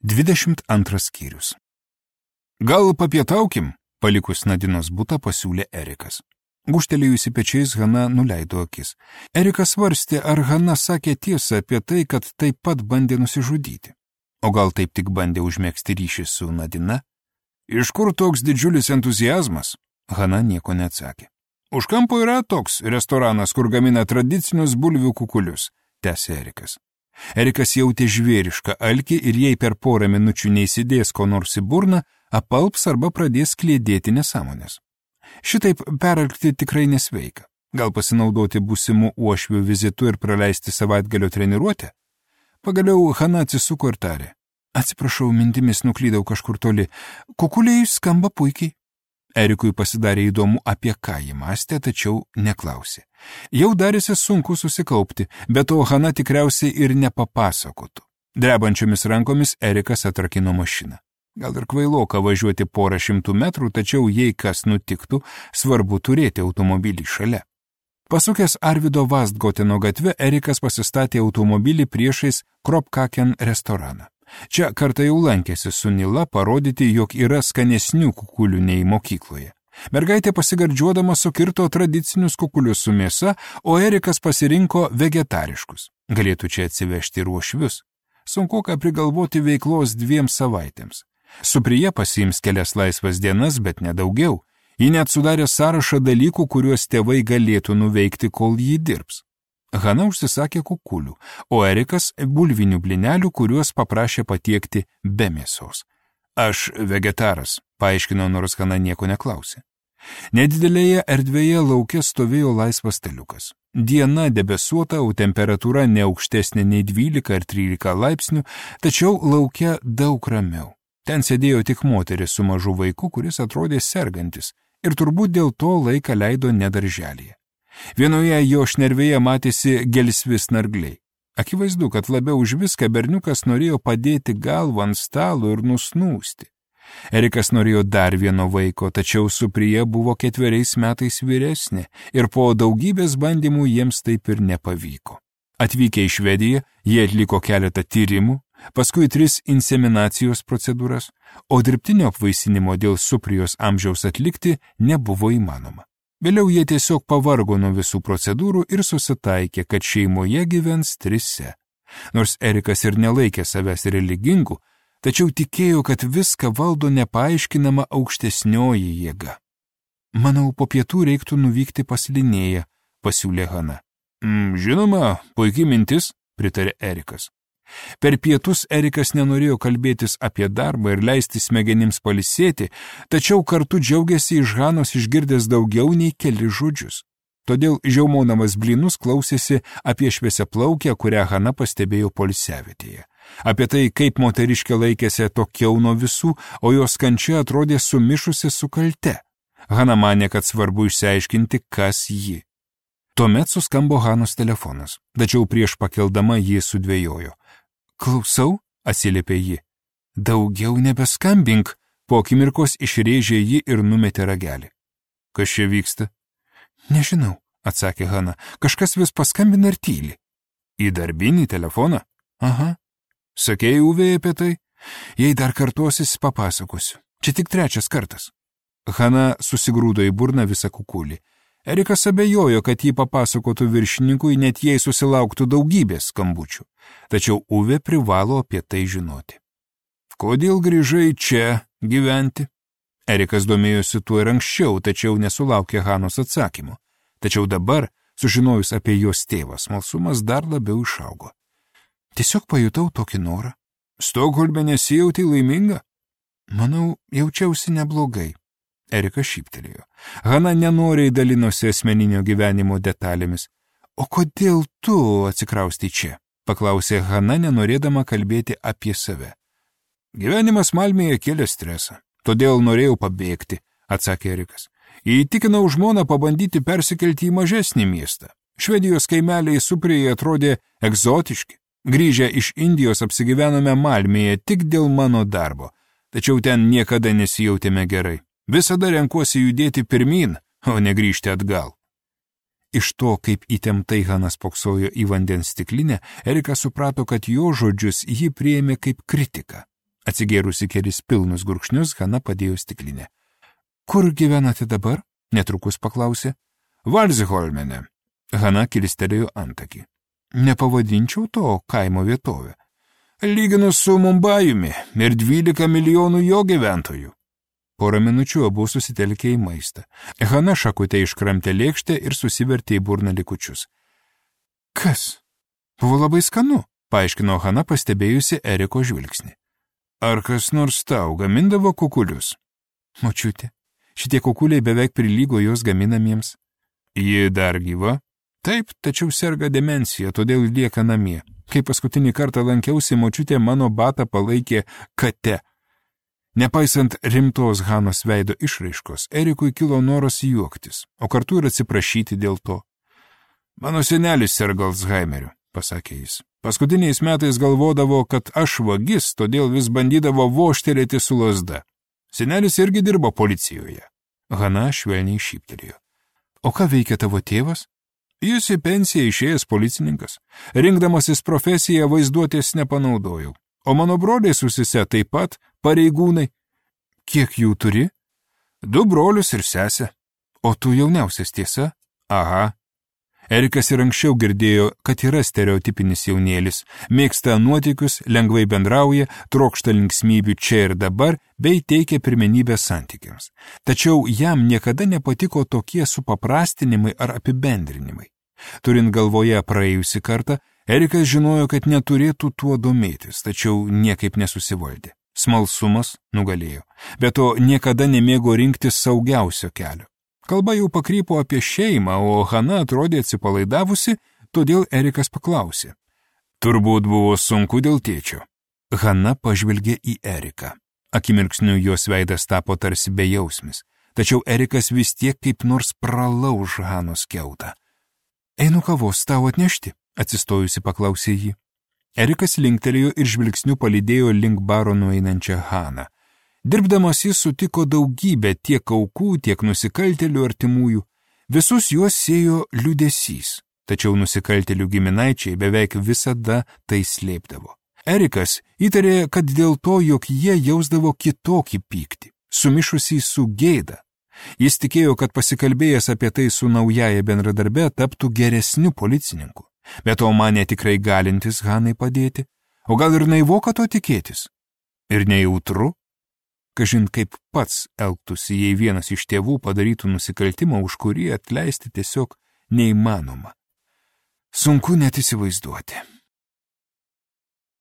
22 skyrius. Gal papietaukim? Palikus Nadinos butą pasiūlė Erikas. Gūžtelėjusi pečiais, Hana nuleido akis. Erikas svarstė, ar Hana sakė tiesą apie tai, kad taip pat bandė nusižudyti. O gal taip tik bandė užmėgsti ryšį su Nadina? Iš kur toks didžiulis entuziazmas? Hana nieko neatsakė. Už kampo yra toks restoranas, kur gamina tradicinius bulvių kukulius, tęsė Erikas. Erikas jautė žvėrišką alkį ir jei per porą minučių neįsidės ko nors į burną, apalps arba pradės kliedėti nesąmonės. Šitaip peralkti tikrai nesveika. Gal pasinaudoti būsimų uošvių vizitu ir praleisti savaitgalio treniruotę? Pagaliau Hana atsisuko ir tarė. Atsiprašau, mintimis nuklydau kažkur toli. Kukuliai skamba puikiai. Erikui pasidarė įdomu, apie ką jį mąstė, tačiau neklausė. Jau darėsi sunku susikaupti, bet to Hana tikriausiai ir nepapasakotų. Drebančiomis rankomis Erikas atrakino mašiną. Gal ir kvailoka važiuoti porą šimtų metrų, tačiau jei kas nutiktų, svarbu turėti automobilį šalia. Pasukęs Arvido Vastgoteno gatve, Erikas pasistatė automobilį priešais Kropkaken restoraną. Čia kartą jau lankėsi su Nila parodyti, jog yra skanesnių kukulių nei mokykloje. Mergaitė pasigardžiuodama sukirto tradicinius kukulius su mėsa, o Erikas pasirinko vegetariškus. Galėtų čia atsivežti ir uošvius. Sunku ką prigalvoti veiklos 2 savaitėms. Suprija pasiims kelias laisvas dienas, bet nedaugiau. Ji net sudarė sąrašą dalykų, kuriuos tėvai galėtų nuveikti, kol jį dirbs. Hana užsisakė kukulių, o Erikas bulvinių blynelių, kuriuos paprašė patiekti be mėsos. Aš vegetaras, paaiškino, nors Hana nieko neklausė. Nedidelėje erdvėje lauke stovėjo laisvas staliukas. Diena debesuota, o temperatūra ne aukštesnė nei 12 ar 13 laipsnių, tačiau lauke daug ramiau. Ten sėdėjo tik moteris su mažu vaiku, kuris atrodė sergantis, ir turbūt dėl to laiką leido nedarželėje. Vienoje jo šnervėje matėsi gelsvi snargliai. Akivaizdu, kad labiau už viską berniukas norėjo padėti galvą ant stalo ir nusnūsti. Erikas norėjo dar vieno vaiko, tačiau Suprija buvo 4 metais vyresnė ir po daugybės bandymų jiems taip ir nepavyko. Atvykę į Švediją, jie atliko keletą tyrimų, paskui 3 inseminacijos procedūras, o dirbtinio apvaisinimo dėl Suprijos amžiaus atlikti nebuvo įmanoma. Vėliau jie tiesiog pavargo nuo visų procedūrų ir susitaikė, kad šeimoje gyvens 3. Nors Erikas ir nelaikė savęs religingu, tačiau tikėjo, kad viską valdo nepaaiškinama aukštesnioji jėga. Manau, po pietų reiktų nuvykti pas Linėją, pasiūlė Hana. Žinoma, puikiai mintis, pritarė Erikas. Per pietus Erikas nenorėjo kalbėtis apie darbą ir leisti smegenims pailsėti, tačiau kartu džiaugiasi iš Hanos išgirdęs daugiau nei keli žodžius. Todėl žiaumodamas blynus klausėsi apie šviesiaplaukę, kurią Hana pastebėjo poilsiavietėje. Apie tai, kaip moteriškė laikėsi atokiau nuo visų, o jos kančia atrodė sumišusi su kalte. Hana manė, kad svarbu išsiaiškinti, kas ji. Tuomet suskambo Hanos telefonas, tačiau prieš pakeldama ji sudvejojo. Klausau, atsiliepė ji. Daugiau nebeskambink, po akimirkos išrėžė ji ir numetė ragelį. Kas čia vyksta? Nežinau, atsakė Hana, kažkas vis paskambina ir tyli. Į darbinį telefoną? Aha. Sakėjai Uvei apie tai? Jei dar kartuosis, papasakosiu. Čia tik 3 kartas. Hana susigrūdo į burną visą kukulį. Erikas abejojo, kad jį papasakotų viršininkui, net jei susilauktų daugybės skambučių. Tačiau Uvė privalo apie tai žinoti. Kodėl grįžai čia gyventi? Erikas domėjosi tuo ir anksčiau, tačiau nesulaukė Hanos atsakymo. Tačiau dabar, sužinojus apie jos tėvą, smalsumas dar labiau išaugo. Tiesiog pajutau tokį norą. Stokholme nesijauti laiminga? Manau, jaučiausi neblogai. Erikas šyptelėjo. Hana nenoriai dalinosi asmeninio gyvenimo detalėmis. O kodėl tu atsikraustai čia? Paklausė Hana, nenorėdama kalbėti apie save. Gyvenimas Malmėje kėlė stresą, todėl norėjau pabėgti, atsakė Erikas. Įtikinau žmoną pabandyti persikelti į mažesnį miestą. Švedijos kaimeliai Suprijoje atrodė egzotiški. Grįžę iš Indijos apsigyvenome Malmėje tik dėl mano darbo, tačiau ten niekada nesijautėme gerai. Visada renkuosi judėti pirmin, o ne grįžti atgal. Iš to, kaip įtemptai Hana spoksojo į vandens stiklinę, Erikas suprato, kad jo žodžius ji priėmė kaip kritiką. Atsigėrusi kelis pilnus gurkšnius, Hana padėjo stiklinę. Kur gyvenate dabar? Netrukus paklausė. Valziholmene. Hana kilistelėjo antakį. Nepavadinčiau to kaimo vietovę. Lyginus su Mumbajumi ir 12 milijonų jo gyventojų. Porą minučių abu susitelkė į maistą. Hana šakutė iškramtė lėkštę ir susivertė į burną likučius. Kas? Buvo labai skanu, paaiškino Hana, pastebėjusi Eriko žvilgsnį. Ar kas nors tau gamindavo kukulius? Močiutė, šitie kukuliai beveik prilygo jos gaminamiems. Ji dar gyva? Taip, tačiau serga demencija, todėl lieka namie. Kai paskutinį kartą lankiausi, močiutė mano batą palaikė kate. Nepaisant rimtos Hanos veido išraiškos, Erikui kilo noras juoktis, o kartu ir atsiprašyti dėl to. Mano senelis serga Alzheimeriu, pasakė jis. Paskutiniais metais galvodavo, kad aš vagis, todėl vis bandydavo vožtelėti su lazda. Senelis irgi dirbo policijoje. Hana švelniai šyptelėjo. O ką veikia tavo tėvas? Jis į pensiją išėjęs policininkas. Rinkdamasis profesiją vaizduotės nepanaudojau. O mano broliai susise taip pat pareigūnai. Kiek jų turi? 2 brolius ir sesę. O tu jauniausias, tiesa? Aha. Erikas ir anksčiau girdėjo, kad yra stereotipinis jaunėlis, mėgsta nuotykius, lengvai bendrauja, trokšta linksmybių čia ir dabar, bei teikia pirmenybę santykiams. Tačiau jam niekada nepatiko tokie supaprastinimai ar apibendrinimai. Turint galvoje praėjusį kartą, Erikas žinojo, kad neturėtų tuo domėtis, tačiau niekaip nesusivaldė. Smalsumas nugalėjo, bet to niekada nemėgo rinktis saugiausio kelio. Kalba jau pakrypo apie šeimą, o Hana atrodė atsipalaidavusi, todėl Erikas paklausė. Turbūt buvo sunku dėl tėčio. Hana pažvelgė į Eriką. Akimirksniu jos veidas tapo tarsi bejausmis, tačiau Erikas vis tiek kaip nors pralauž Hanos kiautą. Einu kavos tau atnešti, atsistojusi paklausė jį. Erikas linktelėjo ir žvilgsniu palydėjo link baro nueinančią Haną. Dirbdamas jis sutiko daugybę tiek aukų, tiek nusikaltėlių artimųjų. Visus juos siejo liūdesys, tačiau nusikaltėlių giminaičiai beveik visada tai slėpdavo. Erikas įtarė, kad dėl to, jog jie jausdavo kitokį pyktį, sumišusį su gėda. Jis tikėjo, kad pasikalbėjęs apie tai su naujaja bendradarbe taptų geresniu policininku, bet to manė tikrai galintis Hanai padėti, o gal ir naivoka to tikėtis. Ir nejautru? Kažin kaip pats elgtųsi, jei vienas iš tėvų padarytų nusikaltimą, už kurį atleisti tiesiog neįmanoma. Sunku net įsivaizduoti.